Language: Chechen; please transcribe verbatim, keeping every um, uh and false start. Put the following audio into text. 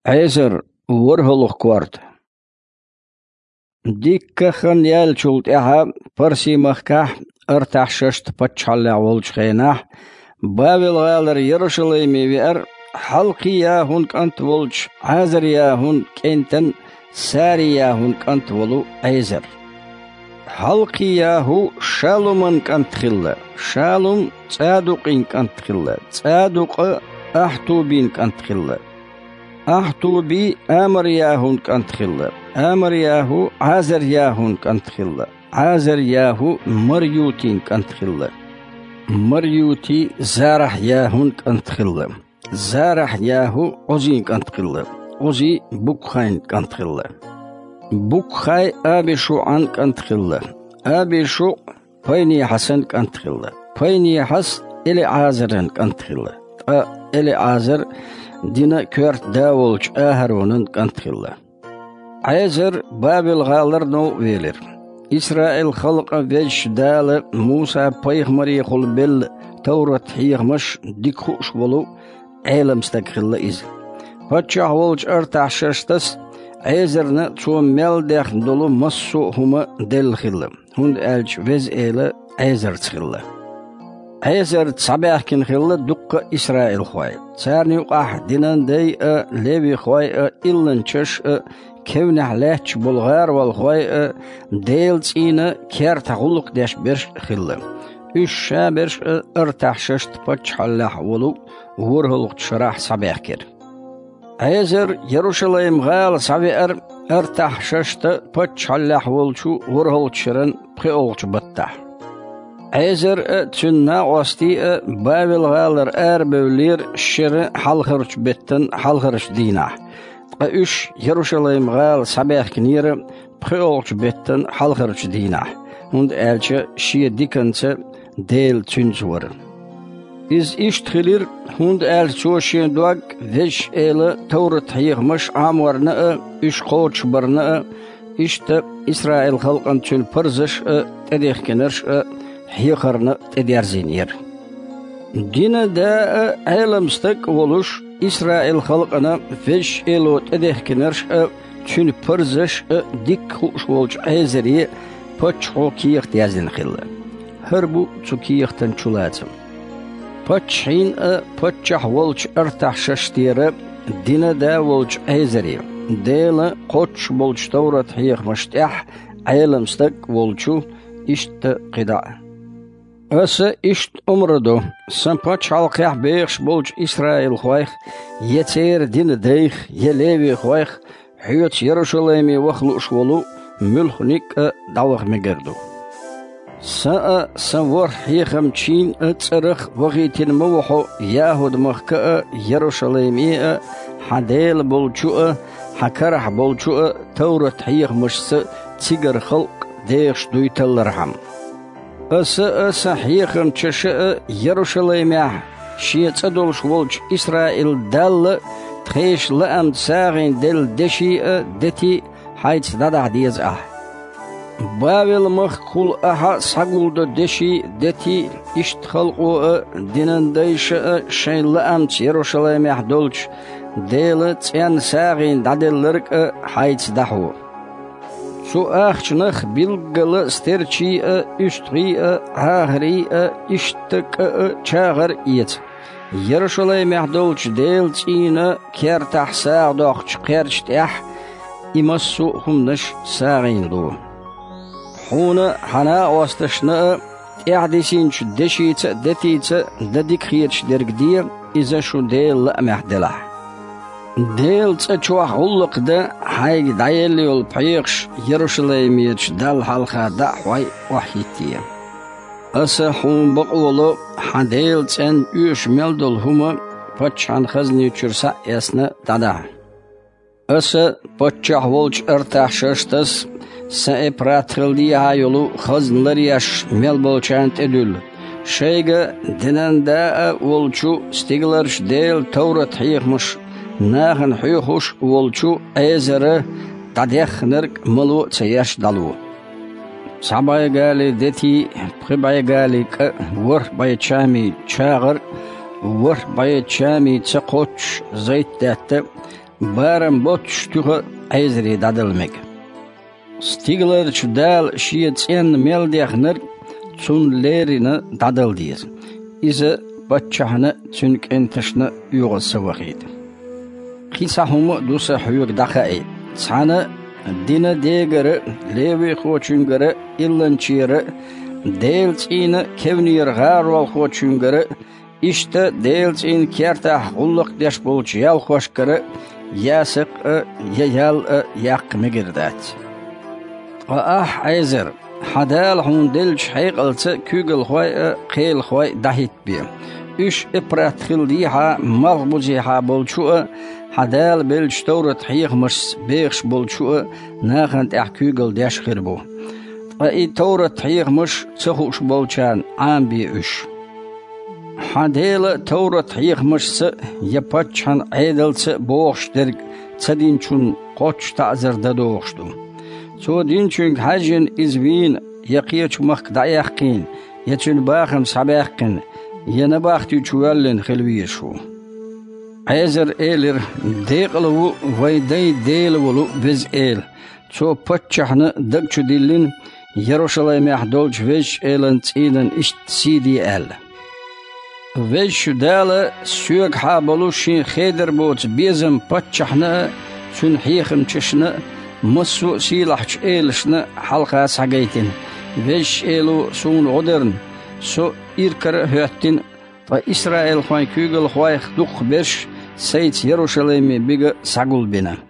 Ӏезар, ворхӀалгӀа корта. Дикка хан яьллачул тӀаьхьа Парси-махкахь Артахьшашта паччахьаллехь волчу хенахь, Бавел-гӀалара Ярушалайме веара Хьалкхи-ЯхӀун кӀант волчу Ӏазар-ЯхӀун кӀентан Сари-ЯхӀун кӀант волу Ӏезар. Хьалкхи-ЯхӀу Шалуман кӀант хилла, Шалум ЦӀадукъин кӀант хилла, ЦӀадукъа Ахьтубин кӀант хилла. Ахьтуби Амар-ЯхӀун кӀант хилла, Амар-ЯхӀу Ӏазар-ЯхӀун кӀант хилла, Ӏазар-ЯхӀу Марютин кӀант хилла, Марюти Зарахь-ЯхӀун кӀант хилла, Зарахь-ЯхӀу Ӏузин кӀант хилла, Ӏузи Букхайн кӀант хилла, Букхай АбишуӀан кӀант хилла, АбишуӀ Пайнехьасан кӀант хилла. Пайнехьас ЭлиӀазаран кӀант хилла. Ткъа ЭлиӀазар дина коьрта да волчу АхӀаронан кӀант хилла. Ӏезар Бавел-гӀалара новкъа велира. Исраил-халкъан Везачу Дала Муса-пайхамарехула белла товрат-хьехамаш дика хууш волу Ӏелам стаг хилла иза. Паччахь волчу Артахьшаштас Ӏезарна цо мел дехна долу массо а хӀума делла хилла, хӀунда аьлча Веза Эла Ӏезарца хилла. Ӏезарца схьабаьхкина хилла дуккха а исраилхой. Царна юкъахь динан дай а, левихой а, илланчаш а, кевнехь лаьтташ болу гӀаролхой а, Делан цӀийнан кертахь гӀуллакх деш берш а хилла. Уьш шаберш а Артахьшашта паччахьаллехь волу ворхӀалгӀачу шарахь схьабаьхкира. Ӏезар Ярушалайм-гӀала схьавеара Артахьшашта паччахьаллехь волчу ворхӀалгӀачу шеран пхоьалгӀачу баттахь. Ӏезар а, цуьнан накъостий а Бавел-гӀалара арабевллера шеран хьалхарчу беттан хьалхарчу дийнахь, ткъа уьш Ярушалайм-гӀала схьабаьхкинера пхоьалгӀачу беттан хьалхарчу дийнахь, хӀунда аьлча шен диканца Дела цуьнца вара. Иза иштта хилира, хӀунда аьлча цо шен дог Везачу Эла товрат-хьехамаш Ӏаморна а, уьш кхочушбарна а, иштта Исраил-халкъана цуьнан парзаш а, тӀедехкинарш а хьехарна а тӀедерзийнера. Динан да а, Ӏелам стаг а волуш, Исраил-халкъана Везачу Эло тӀедехкинарш а, цуьнан парзаш а дикка хууш волчу Ӏезаре паччахьо кехат яздина хилла. ХӀара бу цу кехатан чулацам. Паччахьийн а, паччахь волчу Артахьшаштера динан да волчу Ӏезаре, Делан кхоччуш болчу товрат-хьехамаш тӀехь Ӏелам стаг а волчу, иштта кхидӀа а. Аса иштта омра до сан пачхьалкхехь бехаш болчу исраилхойх, я церан динан дайх, я левихойх, хьоьца Ярушалайме ваха лууш волу муьлхха ницкъ а дӀаваха мегар ду. Сан а, сан ворхӀ хьехамчийн а цӀарах вахийтина ма ву хьо ЯхӀуд-махка а, Ярушалайме а, хьан Дела болчу а, хьан карахь болчу а товрат-хьехамашца цигара халкъ дехаш дуй таллархьама. Аса а, сан хьехамчаша а Ярушалаймехь шен цӀа долуш волчу Исраил-Далла тхешан лаамца сагӀина делла деши а, дети а хьайца дӀадахьа деза ахьа. Бавел-махкахула ахьа схьагулдо деши а, дети а, иштта халкъо а динан дайша а шайн лаамца Ярушалаймехь долчу Делан цӀенна сагӀина дӀаделларг а хьайца дӀахьо. Цу ахчанах билггала стерчий а, уьстагӀий а, Ӏахарий а, иштта кӀа а, чагӀар а эца. Ярушалаймехь долчу Делан цӀийнан кертахь сагӀа доккхучу кхерча тӀехь и массо а хӀуманаш сагӀина ло. Хьуна, хьан накъосташна а, тӀаьхьадисинчу дешица а, детица а дан дика хеташ дерг де, иза шун Делан лаамехь делахь. Делан цӀа чохь гӀуллакх дан хьайга дӀаелла йолу пхьегӀаш Ярушалаймерачу Далла хьалха дӀа а хьой, охьахӀитте. Аса хьуна бакъо ло, хьан Делан цӀенна оьшуш мел долу хӀума паччахьан хазни чуьра схьа а эцна дӀадахьа. Аса паччахь волчу Артахьшаштас сан Эпрат-хила дехьа йолу хазна ларъеш мел болчарна тӀедуьллу, шайга динан да а волчу, стигаларчу Делан товрат-хьехамаш нахана хьоьхуш а волчу Ӏезара дӀадеххинарг мало а ца еш дӀало. Цхьа бӀе гали дети, пхи бӀе гали кӀа, ворхӀ бӀе чами чагӀар, ворхӀ бӀе чами ца кхоччуш зайтдаьтта, Барам боццуш туьха Ӏезаре дӀадала мега. Стигаларчу Дала Шен цӀенна мел дехнарг Цунна леррина дӀадала деза. Иза паччахьна а, цуьнан кӀенташна а оьгӀаз ца вахийта. Кхин цхьа хӀума а ду Сан хьоьга дӀахаийта. Цхьана а динан дегара а, левихочуьнгара а, илланчера а, Делан цӀийнан кевнера гӀаролхочуьнгара а, иштта Делан цӀийнан кертахь гӀуллакх деш болчу ялхошкара а я сакъа а, я ял а яккха мегар дац. Ткъа ахь, Ӏезар, хьан Дала хьуна деллачу хьекъалца куьйгалхой а, кхелахой а дӀахӀиттабе. Уьш Эпрат-хил дехьа, малхбузехьа болчу а, хьан Дала беллачу товрат-хьехамашца бехаш болчу а нахана тӀехь куьйгалла деш хир бу. Ткъа и товрат-хьехамаш ца хууш болчарна Ӏамабе уьш. Хьан Дела товрат-хьехамашца а, я паччахьан Ӏедалца а бохуш дерг ца динчунна кхоччуш таӀзар дан догӀуш ду. Цо динчуьнга хьаьжжина иза вийна, я кхечу махка дӀаяьккхийна, я цуьнан бахам схьабаьккхина, я набахти чу воьллина хила везаш ву. Ӏезара элира: «Декъала ву вайн дайн Дела волу Веза Эла! Цо паччахьна даг чу диллина, Ярушалаймехь долчу Везачу Элан цӀийнан иштта сий де аьлла. Везачу Дала соьгахьа болу Шен хедар боцу безам паччахьна а, цуьнан хьехамчашна а, массо а сийлахьчу элашна а хьалха схьагайтина. Везачу Эло суна гӀо дарна, со иракара а хӀоьттина, ткъа исраилхойн куьйгалхойх дукхахберш Сайца Ярушалайме бига схьагулбина».